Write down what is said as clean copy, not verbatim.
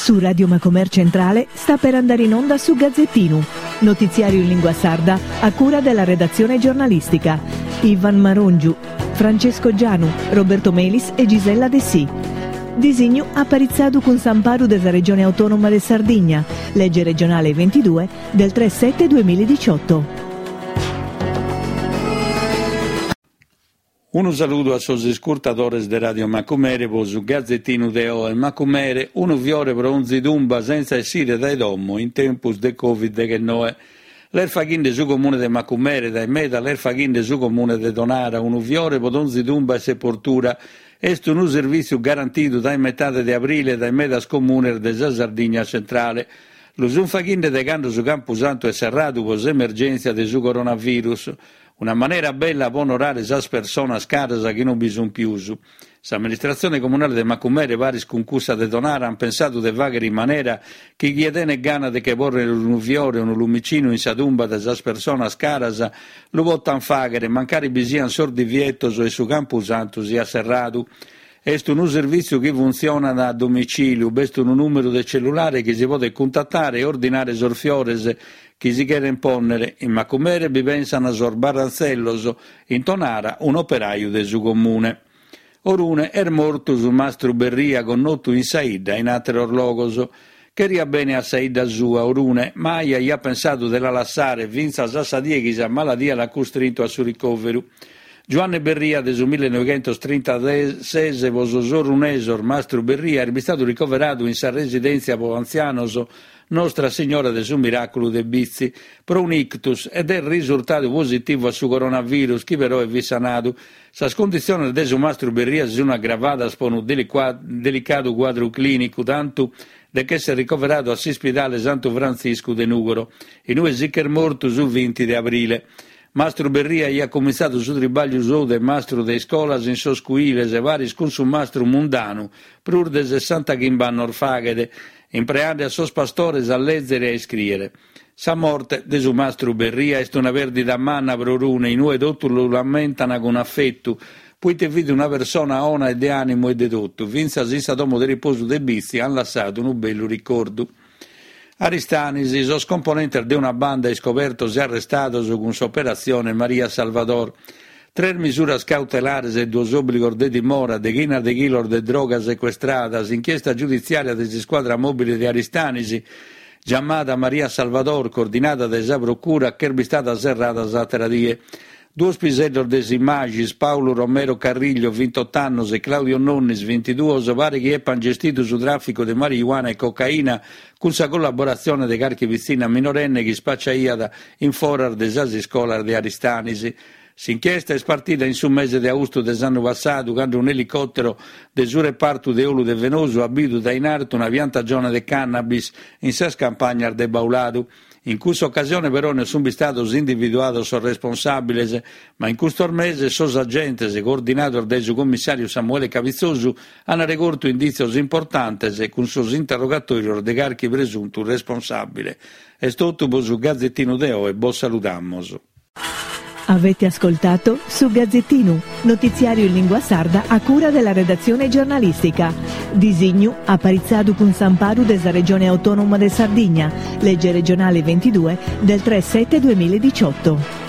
Su Radio Macomer Centrale sta per andare in onda su Gazzettinu, notiziario in lingua sarda a cura della redazione giornalistica. Ivan Marongiu, Francesco Gianu, Roberto Melis e Gisella Dessì. Disignu aparitzadu cun s'amparu de sa Regione Autonoma de Sardigna, lege regionale 22 del 3 7 2018. Unu saludu a sos iscurtadores de Radio Macumere pro su Gazetinu de oe. Macumere, unu fiore pro onzi tumba sentza essire dae domo in tempus de Covid deghennoe. L'est faghinde su Comune de Macumere, dae meda l'est faghinde su Comune de Tonara, unu fiore pro donzi tumba e seportura. Est unu servìtziu garantidu dae metade de abrile dae medas comunes de sa Sardigna tzentrale. Lu sunt faghinde dae cando su Campusantu est serradu pro s'emergèntzia de su coronavirus. Una manera bella pro onorare sas personas caras chi non bi sunt pius. S'amministratzione comunale de Macumere paris cun cussa de Tonara ant pensadu de fàghere in manera chi chie tenet gana de che pòrrere unu fiore o unu lumicinu in sa tumba de sas personas caras lu potant fàghere mancari bi siant sos divietos e su campusantu siat serradu. Est unu servìtziu chi funtzionat a domicìliu, b'est unu nùmeru de cellulare chi si podet cuntatare e ordinare sos fiores chi si cherent pònnere. In Macumere bi pensant sos barrantzellos, in Tonara un'operaju de su Comune. Orune est mortu su mastru Berria connotu in sa 'idda e in àteros logos. Cheriat bene a sa 'idda sua, Orune, mai aiat pensadu de la lassare fintzas a sa die chi sa maladia l'at custrintu a su ricòveru. Giuanne Berria de su millenoighentostrintases pro sos orunesos mastru Berria est bistadu ricoveradu in sa residèntzia pro antzianos Nostra Signora de su Miràculu de Bitzi, pro un'ictus ed est risurtadu positivu a su coronavirus chi peroe fit sanadu. Sas conditziones de su mastru Berria si sun agravadas pro unu delicadu cuadru clìnicu, tantu de ch'èssere ricoveradu a s'ispidale Santu Frantziscu de Nùgoro, in ue si ch'est mortu su vinti de abrile. Mastru Berria aiat cumintzadu su tribàgliu sou de mastru de iscolas in sos cuiles paris cun su mastru Mundanu prus de sessantachimb'annos faghet, impreande a sos pastores a lèzere e a iscrìere. Sa morte de su mastru Berria est una pèrdida manna pro Orune, in ue totus lu lamentan cun afetu, poite fit una persona 'ona e de ànimu e de totu, fintzas in sa domo de riposu de Bitzi an lassadu unu bellu ricordu. Aristanis, sos componentes de una banda iscobertos e arrestados cun s'operatzione Maria Salvador. Tres misuras cautelares e duos òbligos de dimora, deghinas de chilos de droga secuestrada, s'inchiesta giuditziària de s'iscuadra mòbile de Aristanis, giamada Maria Salvador, coordinada dae sa Procura, ch'est bistada serrada s'àtera die. Duos piseddos de Simaxis, Paulu Romero Carriglio, vintot'annos, e Claudio Nonnis, vintiduos, paret chi epant gestidu su tràficu de marijuana e cocaina cun sa collaboratzione de carchi pitzinna minorenne chi ispaciaiat in foras de sas iscolas de Aristanis. S'inchiesta est partida in su mese de austu de s'annu passadu, cando un'elicòtero de su repartu de 'olu de Fenosu at bidu dae in artu una piantagione de cannabis in sas campagnas de Bauladu. In cussa ocasione però non sunt bistados individuados sos responsàbiles, ma in custos meses sos agentes, coordinados dae su commissàriu Samuele Cabizzosu, ant regortu indìtzios importantes cun sos interrogatòrios de carchi presuntu responsàbile. Est totu pro su Gazetinu de oe, bos saludamus. Avete ascoltato Su Gazzettinu, notiziario in lingua sarda a cura della redazione giornalistica. Disignu aparitzadu cun s'amparu de sa Regione Autonoma de Sardigna, legge regionale 22 del 3 7 2018.